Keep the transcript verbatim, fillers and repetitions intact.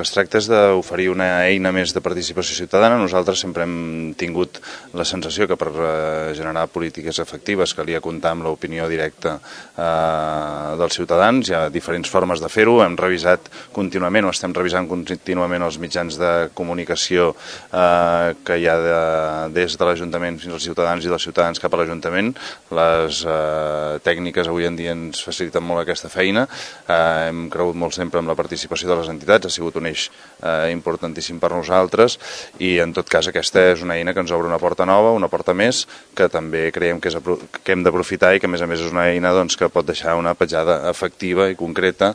Es tracta d'oferir una eina més de participació ciutadana. Nosaltres sempre hem tingut la sensació que per generar polítiques efectives calia comptar amb l'opinió directa eh, dels ciutadans. Hi ha diferents formes de fer-ho. Hem revisat contínuament o estem revisant contínuament els mitjans de comunicació eh, que hi ha de, des de l'Ajuntament fins als ciutadans i dels ciutadans cap a l'Ajuntament. Les eh, tècniques avui en dia ens faciliten molt aquesta feina. Eh, hem cregut molt sempre amb la participació de les entitats. Ha sigut un eix eh, importantíssim per nosaltres i en tot cas aquesta és una eina que ens obre una porta nova, una porta més, que també creiem que, és, que hem d'aprofitar i que a més a més és una eina doncs, que pot deixar una petjada efectiva i concreta